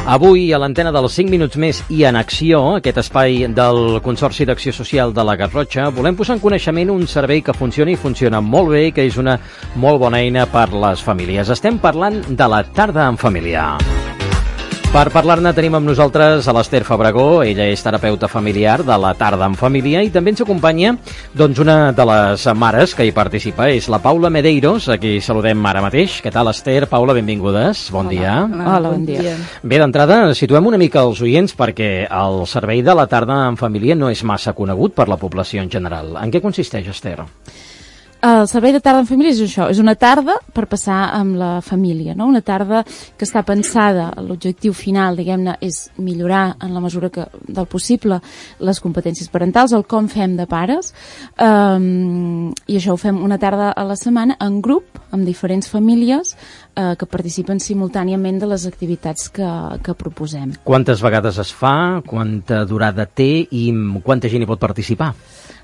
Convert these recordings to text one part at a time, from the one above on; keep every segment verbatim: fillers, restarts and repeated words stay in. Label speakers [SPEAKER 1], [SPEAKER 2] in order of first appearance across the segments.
[SPEAKER 1] Avui, a l'antena dels cinc minuts més i en acció, aquest espai del Consorci d'Acció Social de la Garrotxa, volem posar en coneixement un servei que funciona i funciona molt bé i que és una molt bona eina per les famílies. Estem parlant de la tarda en família. Per parlar-ne tenim amb nosaltres a l'Ester Fabregó, ella és terapeuta familiar de la tarda en família i també ens acompanya doncs, una de les mares que hi participa, és la Paula Medeiros, a qui saludem ara mateix. Què tal,Ester? Paula, benvingudes. Bon
[SPEAKER 2] Hola.
[SPEAKER 1] dia.
[SPEAKER 2] Hola, Hola, bon dia.
[SPEAKER 1] Bé, d'entrada, situem una mica els oients perquè el servei de la tarda en família no és massa conegut per la població en general. En què consisteix,Ester?
[SPEAKER 2] El servei de tarda en família és això, és una tarda per passar amb la família, no? Una tarda que està pensada, l'objectiu final, diguem-ne, és millorar en la mesura que, del possible les competències parentals, el com fem de pares, um, i això ho fem una tarda a la setmana en grup, amb diferents famílies eh, que participen simultàniament de les activitats que, que proposem.
[SPEAKER 1] Quantes vegades es fa, quanta durada té i quanta gent hi pot participar?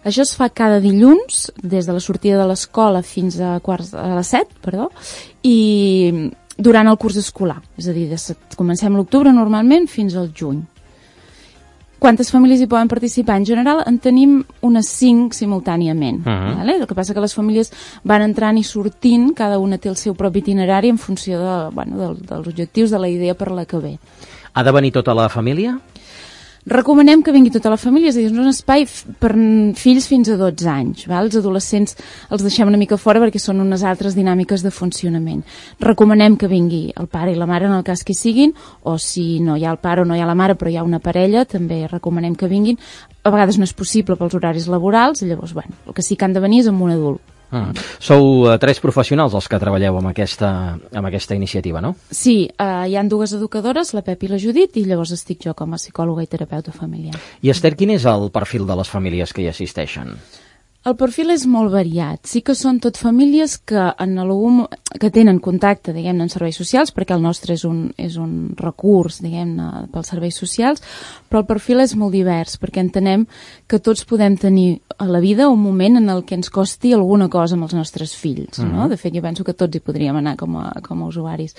[SPEAKER 2] Això es fa cada dilluns, des de la sortida de l'escola fins a quarts a les set, perdó, i durant el curs escolar. És a dir, de, comencem l'octubre normalment fins al juny. Quantes famílies hi poden participar? En general en tenim unes cinc simultàniament. Uh-huh. Vale? El que passa que les famílies van entrant i sortint, cada una té el seu propi itinerari en funció de, bueno, de, dels objectius, de la idea per la que ve.
[SPEAKER 1] Ha de venir tota la família?
[SPEAKER 2] Recomanem que vingui tota la família, és a dir, és un espai per fills fins a dotze anys. Val? Els adolescents els deixem una mica fora perquè són unes altres dinàmiques de funcionament. Recomanem que vingui el pare i la mare en el cas que hi siguin, o si no hi ha el pare o no hi ha la mare però hi ha una parella, també recomanem que vinguin. A vegades no és possible pels horaris laborals, i llavors, bueno, el que sí que han de venir és amb un adult.
[SPEAKER 1] Mm. Sou uh, tres professionals els que treballeu amb aquesta, amb aquesta iniciativa, no?
[SPEAKER 2] Sí, uh, hi han dues educadores, la Pep i la Judit, i llavors estic jo com a psicòloga i terapeuta familiar.
[SPEAKER 1] IEster, quin és el perfil de les famílies que hi assisteixen?
[SPEAKER 2] El perfil és molt variat. Sí que són tot famílies que, en algun, que tenen contacte, diguem-ne, en serveis socials, perquè el nostre és un, és un recurs, diguem-ne, pels serveis socials, però el perfil és molt divers, perquè entenem que tots podem tenir a la vida un moment en el que ens costi alguna cosa amb els nostres fills, no? Uh-huh. De fet, jo penso que tots hi podríem anar com a, com a usuaris.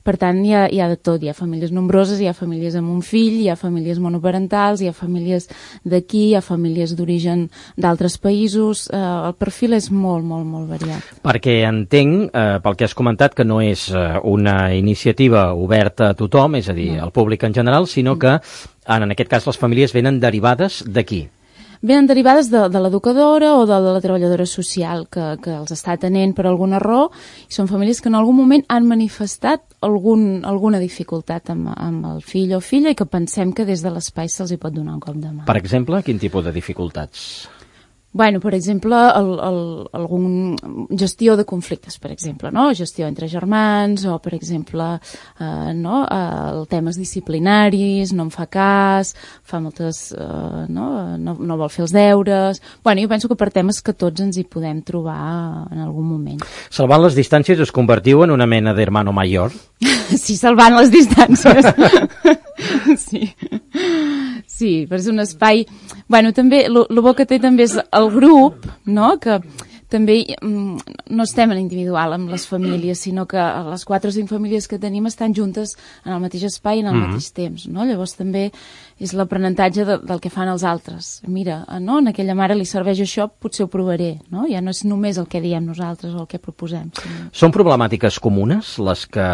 [SPEAKER 2] Per tant, hi ha, hi ha de tot. Hi ha famílies nombroses, hi ha famílies amb un fill, hi ha famílies monoparentals, hi ha famílies d'aquí, hi ha famílies d'origen d'altres països. Eh, el perfil és molt, molt, molt variat.
[SPEAKER 1] Perquè entenc, eh, pel que has comentat, que no és eh, una iniciativa oberta a tothom, és a dir, no. al públic en general, sinó no. que, en aquest cas, les famílies venen derivades d'aquí.
[SPEAKER 2] Venen derivades de, de l'educadora o de, de la treballadora social que, que els està atenent per alguna raó, i són famílies que en algun moment han manifestat algun, alguna dificultat amb, amb el fill o filla i que pensem que des de l'espai se'ls hi pot donar un cop de mà.
[SPEAKER 1] Per exemple, quin tipus de dificultats?
[SPEAKER 2] Bueno, per exemple, el, el, algun gestió de conflictes, per exemple, no? Gestió entre germans, o, per exemple, eh, no? el temes disciplinaris, no em fa cas, fa moltes... Eh, no? No, no vol fer els deures... Bueno, jo penso que per temes que tots ens hi podem trobar en algun moment.
[SPEAKER 1] Salvant les distàncies us convertiu en una mena d'hermano mayor?
[SPEAKER 2] Sí, salvant les distàncies. Sí. Sí, però és un espai... Bueno, també, el bo que té també és el grup, no?, que també no estem en individual amb les famílies, sinó que les quatre o cinc famílies que tenim estan juntes en el mateix espai i en el mm-hmm. mateix temps, no? Llavors també és l'aprenentatge de, del que fan els altres. Mira, no? En aquella mare li serveix això, potser ho provaré, no? Ja no és només el que diem nosaltres o el que proposem. Sinó...
[SPEAKER 1] Són problemàtiques comunes les que,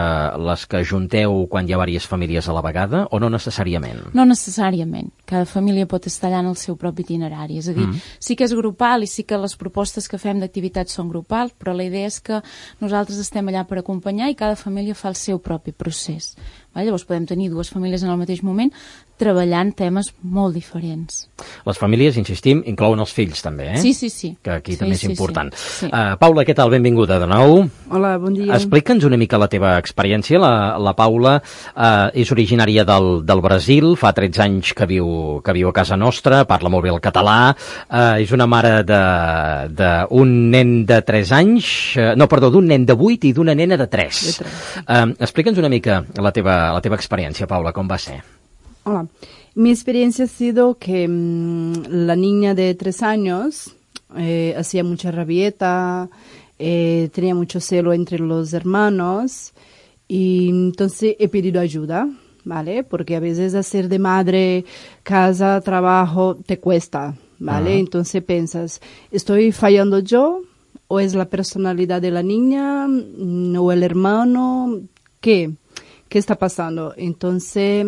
[SPEAKER 1] les que junteu quan hi ha diverses famílies a la vegada o no necessàriament?
[SPEAKER 2] No necessàriament. Cada família pot estar allà en el seu propi itinerari. És a dir, mm. sí que és grupal i sí que les propostes que fem d'activitats són grupals, però la idea és que nosaltres estem allà per acompanyar i cada família fa el seu propi procés. Llavors podem tenir dues famílies en el mateix moment treballant temes molt diferents.
[SPEAKER 1] Les famílies, insistim, inclouen els fills també, eh?
[SPEAKER 2] Sí, sí, sí.
[SPEAKER 1] Que aquí
[SPEAKER 2] sí,
[SPEAKER 1] també és
[SPEAKER 2] sí,
[SPEAKER 1] important.
[SPEAKER 2] Sí. Sí.
[SPEAKER 1] Uh, Paula, què tal? Benvinguda de nou.
[SPEAKER 3] Hola, bon dia.
[SPEAKER 1] Explica'ns una mica la teva experiència. La, la Paula uh, és originària del, del Brasil, fa tretze anys que viu, que viu a casa nostra, parla molt bé el català, uh, és una mare d'un nen de tres anys, uh, no, perdó, d'un nen de vuit i d'una nena de tres. De tres. Uh, explica'ns una mica la teva, la teva experiència, Paula, com va ser?
[SPEAKER 3] Hola. Mi experiencia ha sido que mmm, la niña de tres años eh, hacía mucha rabieta, eh, tenía mucho celo entre los hermanos y entonces he pedido ayuda ¿vale? Porque a veces hacer de madre, casa, trabajo, te cuesta, ¿vale? Uh-huh. Entonces piensas, ¿estoy fallando yo? ¿O es la personalidad de la niña? ¿O el hermano? ¿Qué? ¿Qué está pasando? Entonces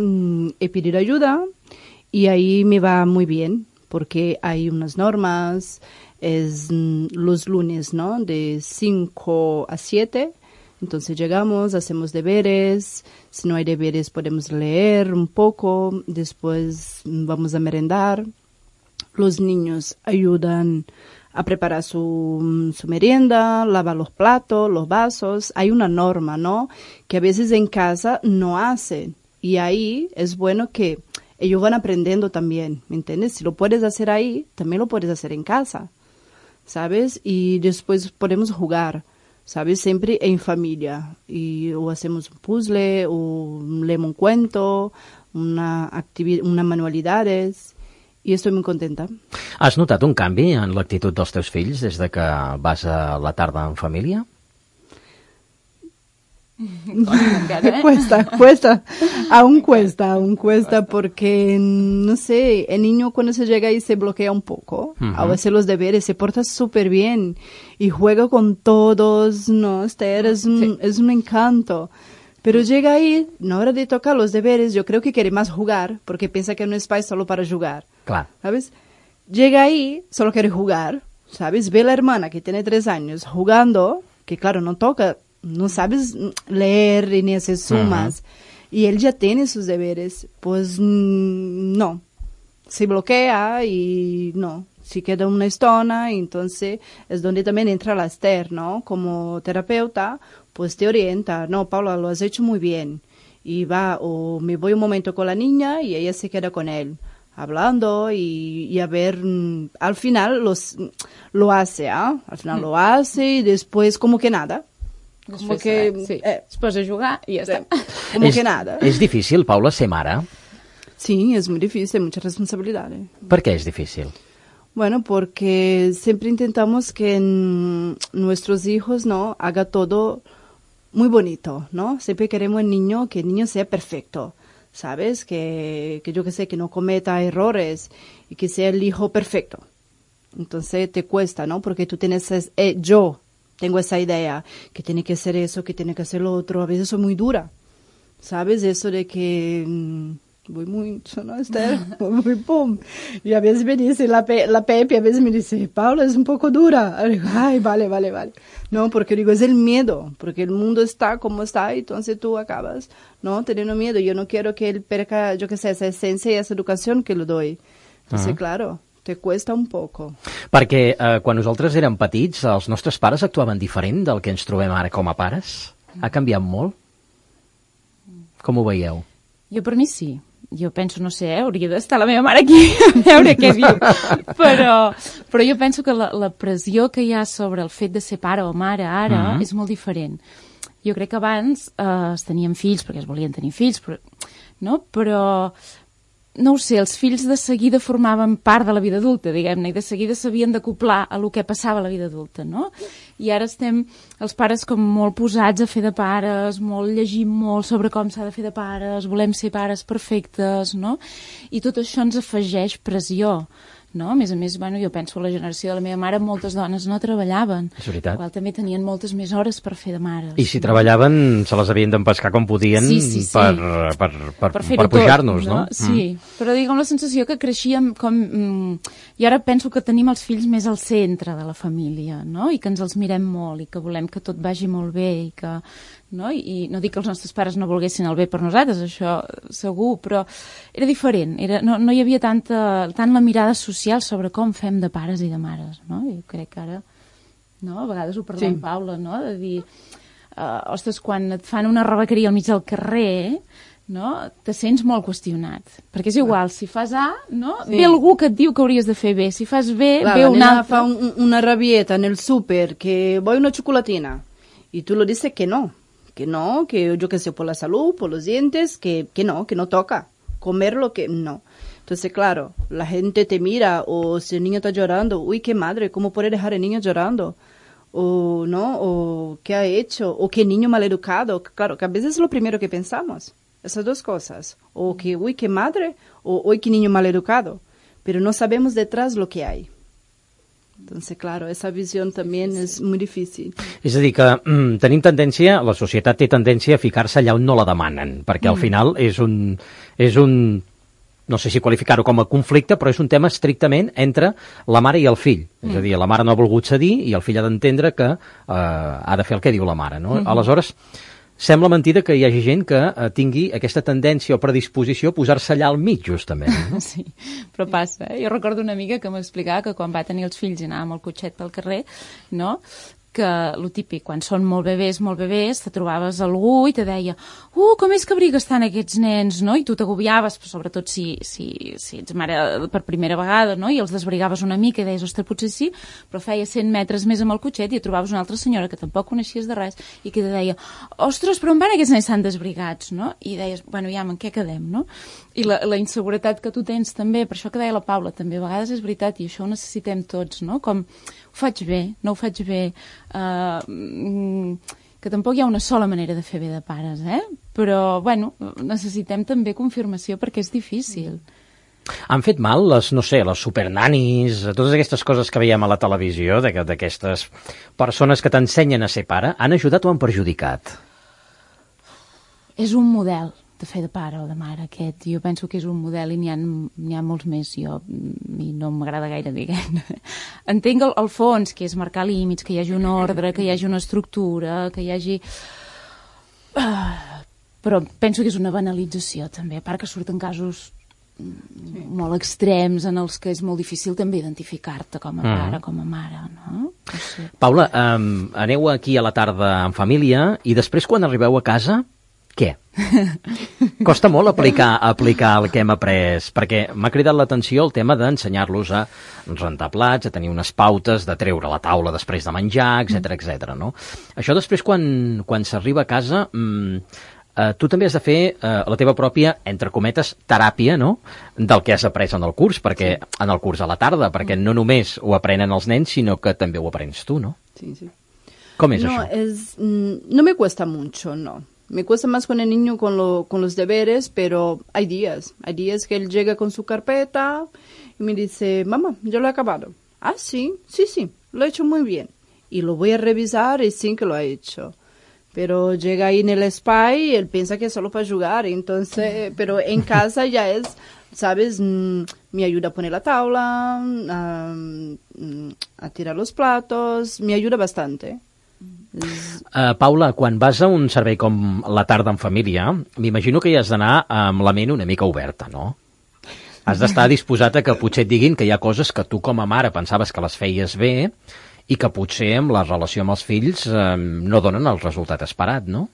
[SPEAKER 3] he pedido ayuda y ahí me va muy bien, porque hay unas normas, es los lunes, ¿no? De cinco a siete. Entonces llegamos, hacemos deberes, si no hay deberes podemos leer un poco, después vamos a merendar. Los niños ayudan a preparar su, su merienda, lavar los platos, los vasos. Hay una norma, ¿no? Que a veces en casa no hacen. Y ahí es bueno que ellos van aprendiendo también, ¿me entiendes? Si lo puedes hacer ahí, también lo puedes hacer en casa, ¿sabes? Y después podemos jugar, ¿sabes? Siempre en familia. Y o hacemos un puzzle, o leemos un cuento, una activi- una manualidades. I estic molt contenta.
[SPEAKER 1] Has notat un canvi en l'actitud dels teus fills des de que vas a la tarda en família?
[SPEAKER 3] Cuesta, cuesta, aún cuesta, aún cuesta porque, no sé, el niño cuando se llega ahí se bloquea un poco, uh-huh. A veces los deberes, se porta súper bien y juega con todos, no, Esther, es un, sí. es un encanto. Pero llega ahí, en hora de tocar los deberes, yo creo que quiere más jugar, porque piensa que no es país solo para jugar,
[SPEAKER 1] claro.
[SPEAKER 3] ¿Sabes? Llega ahí, solo quiere jugar, ¿sabes? Ve a la hermana que tiene tres años jugando, que claro, no toca, no sabes leer ni hacer sumas, uh-huh. Y él ya tiene sus deberes, pues no, se bloquea y no, se queda una estona, entonces es donde también entra la Esther, ¿no? Como terapeuta, pues te orienta, no, Paula, lo has hecho muy bien, y va, o me voy un momento con la niña y ella se queda con él, hablando y, y a ver, al final los, lo hace, ¿ah? ¿eh? Al final mm. lo hace y después como que nada.
[SPEAKER 2] Como que... Res, sí. eh, es posa a jugar i ja
[SPEAKER 3] sí.
[SPEAKER 2] està.
[SPEAKER 3] Como
[SPEAKER 1] és,
[SPEAKER 3] que nada.
[SPEAKER 1] És difícil, Paula, ser mare?
[SPEAKER 3] Sí, es muy difícil, mucha responsabilidad. ¿eh?
[SPEAKER 1] ¿Por qué es difícil?
[SPEAKER 3] Bueno, porque siempre intentamos que n- nuestros hijos, ¿no? Haga todo muy bonito, ¿no? Siempre queremos el niño, que el niño sea perfecto, ¿sabes? Que, que yo que sé, que no cometa errores y que sea el hijo perfecto. Entonces te cuesta, ¿no? Porque tú tienes, eh, yo tengo esa idea, que tiene que hacer eso, que tiene que hacer lo otro. A veces soy muy dura, ¿sabes? Eso de que... Mmm, voy muy, ¿no, Esther? Voy muy pum. Y a veces me dice la, Pe- la Pepe, a veces me dice, Paula, es un poco dura. Y digo, ay, vale, vale, vale. No, porque digo, es el miedo, porque el mundo está como está, y entonces tú acabas, ¿no? Teniendo miedo. Yo no quiero que él perca, yo qué sé, esa esencia y esa educación que le doy. Entonces, uh-huh. Claro, te cuesta un poco.
[SPEAKER 1] Perquè eh, quan nosaltres érem petits, els nostres pares actuaven diferent del que ens trobem ara com a pares? Ha canviat molt? Com ho veieu?
[SPEAKER 2] Jo per mi sí. Jo penso, no sé, eh, hauria d'estar la meva mare aquí a veure què diu, però, però jo penso que la, la pressió que hi ha sobre el fet de ser pare o mare ara uh-huh. és molt diferent. Jo crec que abans eh, es tenien fills perquè es volien tenir fills, però, no? però no ho sé, els fills de seguida formaven part de la vida adulta, diguem-ne, i de seguida s'havien d'acoplar a lo que passava a la vida adulta, no? I ara estem, els pares, com molt posats a fer de pares, molt llegim molt sobre com s'ha de fer de pares, volem ser pares perfectes, no? I tot això ens afegeix pressió, no? A més a més, bueno, jo penso a la generació de la meva mare, moltes dones no treballaven.
[SPEAKER 1] És veritat.
[SPEAKER 2] Igual també tenien moltes més hores per fer de mares.
[SPEAKER 1] I si no? treballaven, se les havien d'empescar com podien
[SPEAKER 2] sí, sí, sí.
[SPEAKER 1] per, per, per, per, per pujar-nos, no?
[SPEAKER 2] no? Sí, mm. però dic, amb la sensació que creixíem com... Mm, I ara penso que tenim els fills més al centre de la família, no? I que ens els mirem molt i que volem que tot vagi molt bé i que... No? I no dic que els nostres pares no volguessin el bé per nosaltres, això segur, però era diferent, era, no, no hi havia tanta, tant la mirada social sobre com fem de pares i de mares, no? I crec que ara, no? A vegades ho parla sí. amb Paula, no? De dir, uh, ostres, quan et fan una rebequeria al mig del carrer, no? Te sents molt qüestionat, perquè és igual, si fas A, no? Sí. Ve algú que et diu que hauries de fer B, si fas B,
[SPEAKER 3] la,
[SPEAKER 2] ve un altre.
[SPEAKER 3] Fa un, una rabieta en el súper, que voy una chocolatina, y tú lo dices que no. Que no, que yo que sé, por la salud, por los dientes, que, que no, que no toca. Comer lo que no. Entonces, claro, la gente te mira, o si el niño está llorando, uy, qué madre, ¿cómo puede dejar el niño llorando? O, ¿no? O, ¿qué ha hecho? O qué niño maleducado. Claro, que a veces es lo primero que pensamos. esas dos cosas. O que, uy, qué madre, o uy, qué niño mal educado. Pero no sabemos detrás lo que hay. Entonces, claro, esa visión también es muy difícil.
[SPEAKER 1] És a dir, que mm, tenim tendència, la societat té tendència a ficar-se allà on no la demanen, perquè al final és un, és un, no sé si qualificar-ho com a conflicte, però és un tema estrictament entre la mare i el fill. Mm. És a dir, la mare no ha volgut cedir i el fill ha d'entendre que eh, ha de fer el que diu la mare, no? Mm-hmm. Aleshores, sembla mentida que hi hagi gent que eh, tingui aquesta tendència o predisposició a posar-se allà al mig, justament. No?
[SPEAKER 2] Sí, però passa. Eh? Jo recordo una amiga que m'explicava que quan va tenir els fills i anava amb el cotxet pel carrer, no?, que lo típic, quan són molt bebès, molt bebès, te trobaves algú i te deia uh, com és que abriga estan aquests nens, no? I tu t'agobiaves, sobretot si, si, si ets mare per primera vegada, no? I els desbrigaves una mica i deies, ostres, potser sí, però feia cent metres més amb el cotxet i et trobaves una altra senyora que tampoc coneixies de res i que te deia, ostres, però on van aquests nens tan desbrigats, no? I deies, bueno, ja, en què quedem, no? I la, la inseguretat que tu tens també, per això que deia la Paula, també a vegades és veritat i això ho necessitem tots, no? Com, ho faig bé, no ho faig bé, uh, que tampoc hi ha una sola manera de fer bé de pares, eh? Però, bueno, necessitem també confirmació perquè és difícil.
[SPEAKER 1] Han fet mal les, no sé, les supernanis, totes aquestes coses que veiem a la televisió, d'aquestes persones que t'ensenyen a ser pare, han ajudat o han perjudicat?
[SPEAKER 2] És un model de fer de pare o de mare aquest. Jo penso que és un model i n'hi ha, n'hi ha molts més. Jo, i no m'agrada gaire, diguem. Entenc el, el fons, que és marcar límits, que hi hagi un ordre, que hi hagi una estructura, que hi hagi... Uh, però penso que és una banalització, també, a part que surten casos sí. molt extrems en els que és molt difícil també identificar-te com a pare, mm. com a mare, no? no sé.
[SPEAKER 1] Paula, um, aneu aquí a la tarda en família i després quan arribeu a casa... Què? Costa molt aplicar, aplicar el que hem après, perquè m'ha cridat l'atenció el tema d'ensenyar-los a rentar plats, a tenir unes pautes, de treure la taula després de menjar, etcètera, etcètera, no? Això després, quan, quan s'arriba a casa, mmm, eh, tu també has de fer eh, la teva pròpia, entre cometes, teràpia, no?, del que has après en el curs, perquè en el curs a la tarda, perquè no només ho aprenen els nens, sinó que també ho aprens tu, no?
[SPEAKER 3] Sí, sí.
[SPEAKER 1] Com és
[SPEAKER 3] no,
[SPEAKER 1] això?
[SPEAKER 3] Es, no me cuesta mucho, no. Me cuesta más con el niño con, lo, con los deberes, pero hay días. Hay días que él llega con su carpeta y me dice, mamá, yo lo he acabado. Ah, sí, sí, sí, lo he hecho muy bien. Y lo voy a revisar y sí que lo ha hecho. Pero llega ahí en el spa y él piensa que es solo para jugar. Entonces, pero en casa ya es, ¿sabes? Mm, me ayuda a poner la tabla, a, a tirar los platos, me ayuda bastante.
[SPEAKER 1] Uh, Paula, quan vas a un servei com la tarda en família, m'imagino que hi has d'anar amb la ment una mica oberta, no? Has d'estar disposat a que potser et diguin que hi ha coses que tu com a mare pensaves que les feies bé i que potser amb la relació amb els fills eh, no donen el resultat esperat, no?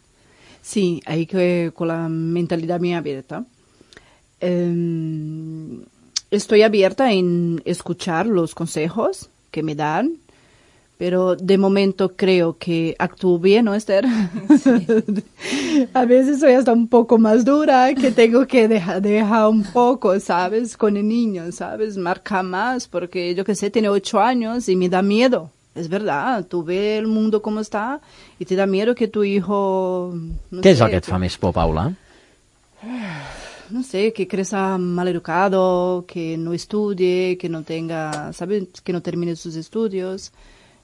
[SPEAKER 3] Sí, hay que con la mentalidad muy abierta. Eh, estoy abierta en escuchar los consejos que me dan. Pero de momento creo que actúo bien, ¿no, Esther? Sí. A veces soy hasta un poco más dura, que tengo que dejar, dejar un poco, ¿sabes? Con el niño, ¿sabes? Marca más, porque yo que sé, tiene ocho años y me da miedo. Es verdad, tú ves el mundo como está y te da miedo que tu hijo... No
[SPEAKER 1] Què
[SPEAKER 3] sé,
[SPEAKER 1] és el que et fa més por, Paula?
[SPEAKER 3] No sé, que crezca mal educado, que no estudie, que no tenga, ¿sabes? Que no termine sus estudios...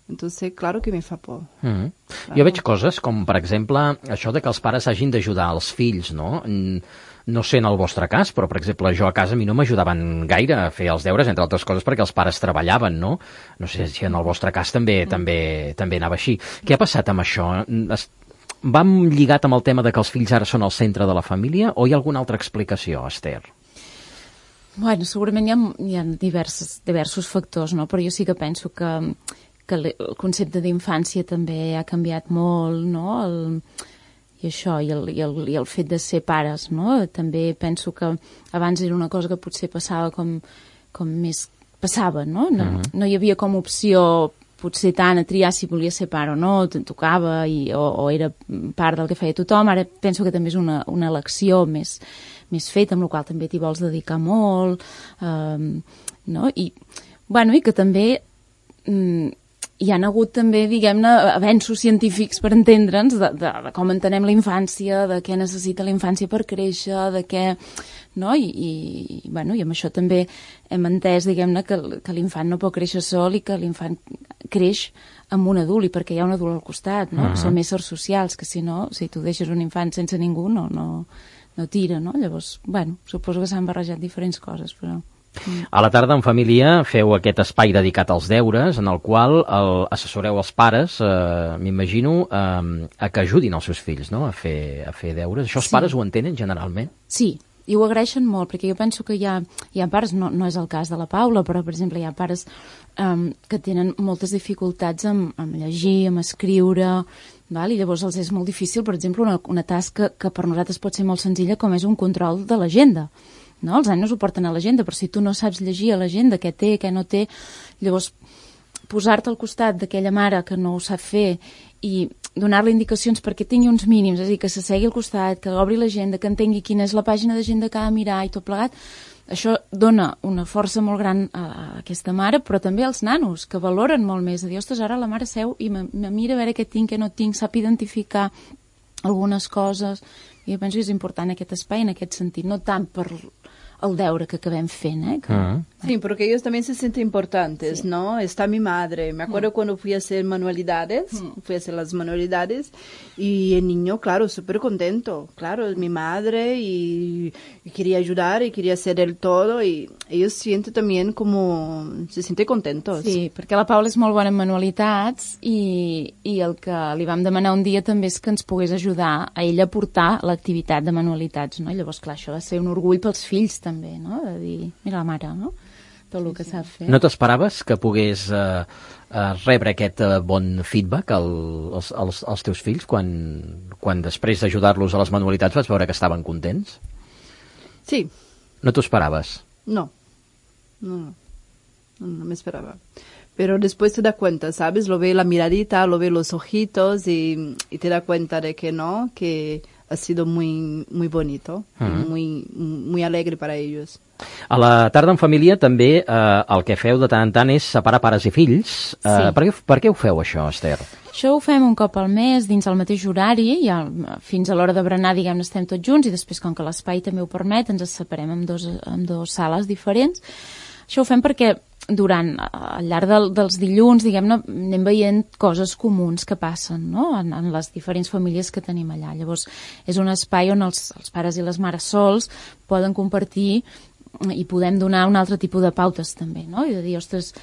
[SPEAKER 3] Entonces, claro que me fa por. Mm-hmm.
[SPEAKER 1] Claro. Jo veig coses com, per exemple, això de que els pares hagin d'ajudar els fills, no? No sé en el vostre cas, però, per exemple, jo a casa a mi no m'ajudaven gaire a fer els deures, entre altres coses, perquè els pares treballaven, no? No sé si en el vostre cas també mm. també també anava així. Què ha passat amb això? Es... Va lligat amb el tema de que els fills ara són el centre de la família o hi ha alguna altra explicació, Esther?
[SPEAKER 2] Bueno, segurament hi ha, hi ha diversos, diversos factors, no? Però jo sí que penso que que el concepte d'infància també ha canviat molt, no? El, i això, i el, i, el, i el fet de ser pares, no? També penso que abans era una cosa que potser passava com, com més... Passava, no? No, uh-huh. no hi havia com opció potser tant a triar si volia ser pare o no, te'n tocava i, o, o era part del que feia tothom. Ara penso que també és una, una elecció més, més feta, amb la qual també t'hi vols dedicar molt, eh, no? I, bueno, i que també... Mm, hi ha hagut també, diguem-ne, avenços científics per entendre'ns de, de, de com entenem la infància, de què necessita la infància per créixer, de què... No? I, i, bueno, i amb això també hem entès, diguem-ne, que, que l'infant no pot créixer sol i que l'infant creix amb un adult, i perquè hi ha un adult al costat, no? Uh-huh. Som éssers socials, que si no, si tu deixes un infant sense ningú, no, no, no tira, no? Llavors, bueno, suposo que s'han barrejat diferents coses, però...
[SPEAKER 1] A la tarda en família feu aquest espai dedicat als deures en el qual el, assessoreu els pares, eh, m'imagino, eh, a que ajudin els seus fills, no?, a fer, a fer deures. Això els sí. pares ho entenen generalment?
[SPEAKER 2] Sí, i ho agraeixen molt, perquè jo penso que hi ha, hi ha pares, no, no és el cas de la Paula, però per exemple hi ha pares um, que tenen moltes dificultats amb, amb llegir, amb escriure, val? I llavors els és molt difícil, per exemple, una, una tasca que per nosaltres pot ser molt senzilla, com és un control de l'agenda. No? Els anys ho porten a l'agenda, però si tu no saps llegir a l'agenda què té, què no té, llavors posar-te al costat d'aquella mare que no ho sap fer i donar-li indicacions perquè tingui uns mínims, és a dir, que s'assegui al costat, que obri l'agenda, que entengui quina és la pàgina d'agenda que ha de mirar i tot plegat, això dona una força molt gran a aquesta mare, però també als nanos, que valoren molt més. A dir, ostres, ara la mare seu i me, me mira a veure què tinc, què no tinc, sap identificar algunes coses. I jo penso que és important aquest espai en aquest sentit, no tant per el deure que acabem fent, ¿eh? Que,
[SPEAKER 3] uh-huh. Sí, porque ellos también se sienten importantes, sí. ¿no? Está mi madre. Me acuerdo uh-huh. cuando fui a hacer manualidades, uh-huh. fui a hacer las manualidades y el niño, claro, súper contento. Claro, es mi madre y, y quería ayudar y quería hacer el todo y ellos sienten también como... se sienten contentos.
[SPEAKER 2] Sí, perquè la Paula és molt bona en manualitats i, i el que li vam demanar un dia també és que ens pogués ajudar a ella a portar l'activitat de manualitats, no? I llavors, clar, això va ser un orgull pels fills també, no? De dir, mira la mare, no? Tot el que sí, sí. sap fer.
[SPEAKER 1] No t'esperaves que pogués eh, eh, rebre aquest eh, bon feedback al, als, als, als teus fills quan, quan després d'ajudar-los a les manualitats vas veure que estaven contents?
[SPEAKER 3] Sí.
[SPEAKER 1] No t'ho esperaves?
[SPEAKER 3] No. No, no. No, no me esperaba. Pero después te das cuenta, ¿sabes? Lo ve la miradita, lo ve los ojitos y, y te das cuenta de que no, que ha sido muy, muy bonito, uh-huh. muy, muy alegre para ellos.
[SPEAKER 1] A la tarda en família també eh, el que feu de tant en tant és separar pares i fills. Eh,
[SPEAKER 2] sí.
[SPEAKER 1] per, què, per què ho feu, això, Esther?
[SPEAKER 2] Això ho fem un cop al mes dins el mateix horari, i el, fins a l'hora de berenar, diguem, estem tots junts, i després, com que l'espai també ho permet, ens separem en dos, en dos sales diferents. Això ho fem perquè durant, al llarg del, dels dilluns, diguem-ne, anem veient coses comuns que passen, no?, en, en les diferents famílies que tenim allà. Llavors, és un espai on els, els pares i les mares sols poden compartir i podem donar un altre tipus de pautes també, no? I de dir, ostres,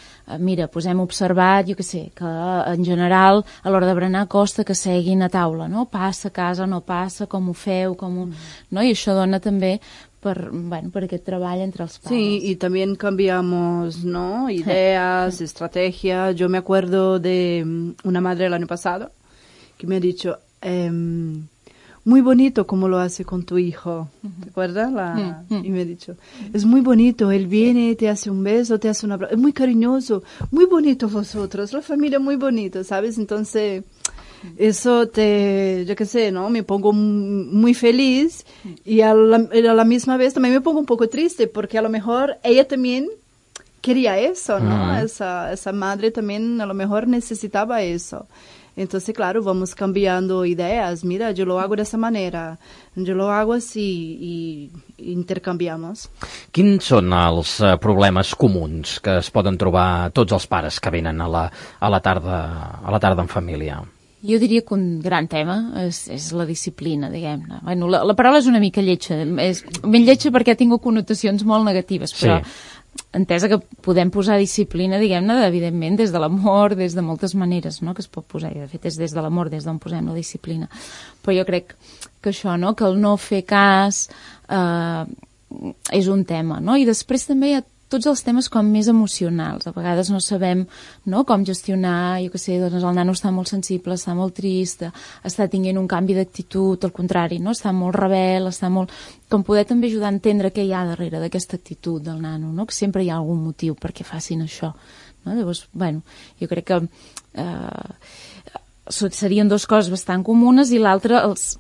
[SPEAKER 2] mira, doncs hem observat, jo què sé, que en general a l'hora de berenar costa que seguin a taula, no? Passa a casa, no passa, com ho feu, com ho... no? I això dona també per, bueno, per aquest treball entre els pares.
[SPEAKER 3] Sí, y también cambiamos, ¿no?, ideas, estrategias. Yo me acuerdo de una madre el año pasado que me ha dicho... Eh, muy bonito como lo hace con tu hijo, ¿te acuerdas? La... Y me ha dicho, es muy bonito, él viene, te hace un beso, te hace un abrazo, es muy cariñoso, muy bonito vosotros, la familia muy bonito, ¿sabes? Entonces, eso te, yo qué sé, ¿no? Me pongo muy feliz y a la, a la misma vez también me pongo un poco triste porque a lo mejor ella también quería eso, ¿no? Uh-huh. Esa, esa madre también a lo mejor necesitaba eso. Entonces, claro, vamos cambiando ideas. Mira, yo lo hago de esa manera, yo lo hago así y, y intercanviamos.
[SPEAKER 1] Quins són els uh, problemes comuns que es poden trobar tots els pares que venen a la, a la, tarda, a la tarda en família?
[SPEAKER 2] Jo diria que un gran tema és, és la disciplina, diguem-ne. Bueno, la, la paraula és una mica lletja, és ben lletja perquè ha tingut connotacions molt negatives, però... Sí. Entesa que podem posar disciplina, diguem-ne, evidentment, des de l'amor, des de moltes maneres, no?, que es pot posar, i de fet és des de l'amor des d'on posem la disciplina. Però jo crec que això, no?, que el no fer cas eh, és un tema, no?, i després també hi ha tots els temes com més emocionals. A vegades no sabem, no?, com gestionar, jo què sé, doncs el nano està molt sensible, està molt trist, està tinguent un canvi d'actitud, al contrari, no?, està molt rebel, està molt... Com poder també ajudar a entendre què hi ha darrere d'aquesta actitud del nano, no?, que sempre hi ha algun motiu perquè facin això, no? Llavors, bueno, jo crec que eh, serien dues coses bastant comunes i l'altra, els,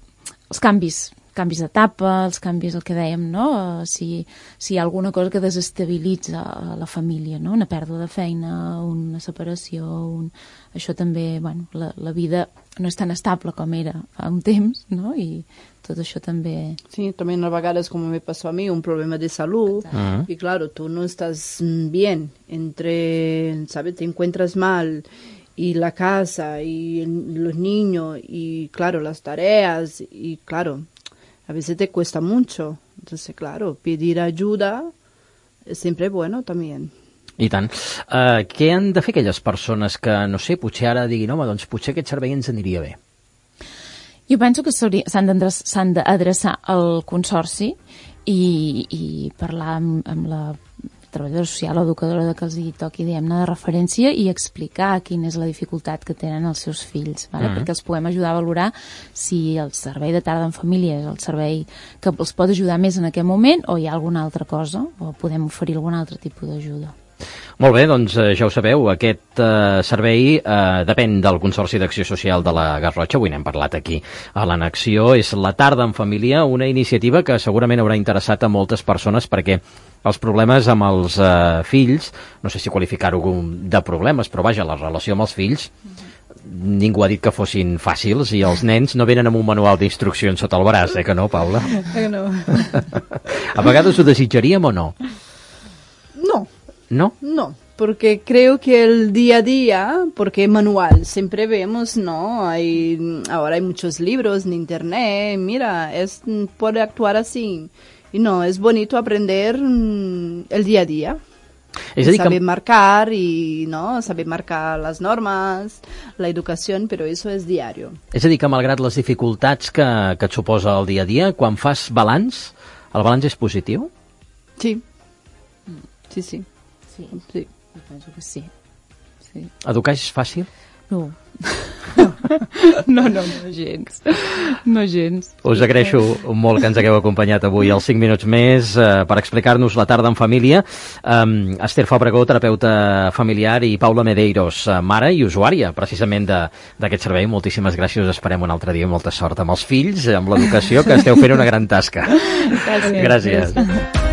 [SPEAKER 2] els canvis canvis d'etapa, els canvis, el que dèiem, no? Si, si hi ha alguna cosa que desestabilitza la família, no? Una pèrdua de feina, una separació, un... això també, bueno, la, la vida no és tan estable com era fa un temps, no? I tot això també...
[SPEAKER 3] Sí, también a vegades, como me pasó a mí, un problema de salud. Uh-huh. Y claro, tú no estás bien entre, ¿sabes? Te encuentras mal y la casa y los niños y, claro, las tareas y, claro, a veces te cuesta mucho. Entonces, claro, pedir ayuda es siempre bueno también.
[SPEAKER 1] I tant. Uh, què han de fer aquelles persones que, no sé, potser ara diguin, home, doncs potser aquest servei ens aniria bé?
[SPEAKER 2] Jo penso que s'han d'adreçar al Consorci i, i parlar amb, amb la treballadora social o educadora de que els hi toqui, diguem-ne, de referència i explicar quina és la dificultat que tenen els seus fills, vale? Mm. perquè els puguem ajudar a valorar si el servei de tarda en família és el servei que els pot ajudar més en aquest moment o hi ha alguna altra cosa o podem oferir algun altre tipus d'ajuda.
[SPEAKER 1] Molt bé, doncs eh, ja ho sabeu, aquest eh, servei eh, depèn del Consorci d'Acció Social de la Garrotxa, avui n'hem parlat aquí a l'Annexió, és la tarda en família, una iniciativa que segurament haurà interessat a moltes persones perquè els problemes amb els eh, fills, no sé si qualificar-ho de problemes, però vaja, la relació amb els fills, ningú ha dit que fossin fàcils i els nens no venen amb un manual d'instruccions sota el braç, eh que no, Paula?
[SPEAKER 3] Que no.
[SPEAKER 1] A vegades ho desitjaríem o no?
[SPEAKER 3] No.
[SPEAKER 1] ¿No?
[SPEAKER 3] No, porque creo que el día a día, porque manual, siempre vemos, ¿no? Hay, ahora hay muchos libros en internet, mira, es, puede actuar así. Y no, es bonito aprender mm, el día a día. Es decir, saber que... marcar y, ¿no? Saber marcar las normas, la educación, pero eso es diario.
[SPEAKER 1] És a dir, que malgrat les dificultats que, que et suposa el dia a dia, quan fas balanç, el balanç és positiu?
[SPEAKER 3] Sí, sí, sí.
[SPEAKER 2] Sí,
[SPEAKER 3] sí.
[SPEAKER 2] penso que sí. sí.
[SPEAKER 1] Educar és fàcil?
[SPEAKER 2] No. No, no, no gens. No gens.
[SPEAKER 1] Us agraeixo molt que ens hagueu acompanyat avui als cinc minuts més eh, per explicar-nos la tarda en família. Um, Esther Fàbrega, terapeuta familiar, i Paula Medeiros, mare i usuària precisament d'aquest servei. Moltíssimes gràcies. Us esperem un altre dia. Molta sort amb els fills, amb l'educació, que esteu fent una gran tasca.
[SPEAKER 2] Gràcies.
[SPEAKER 1] Gràcies. gràcies.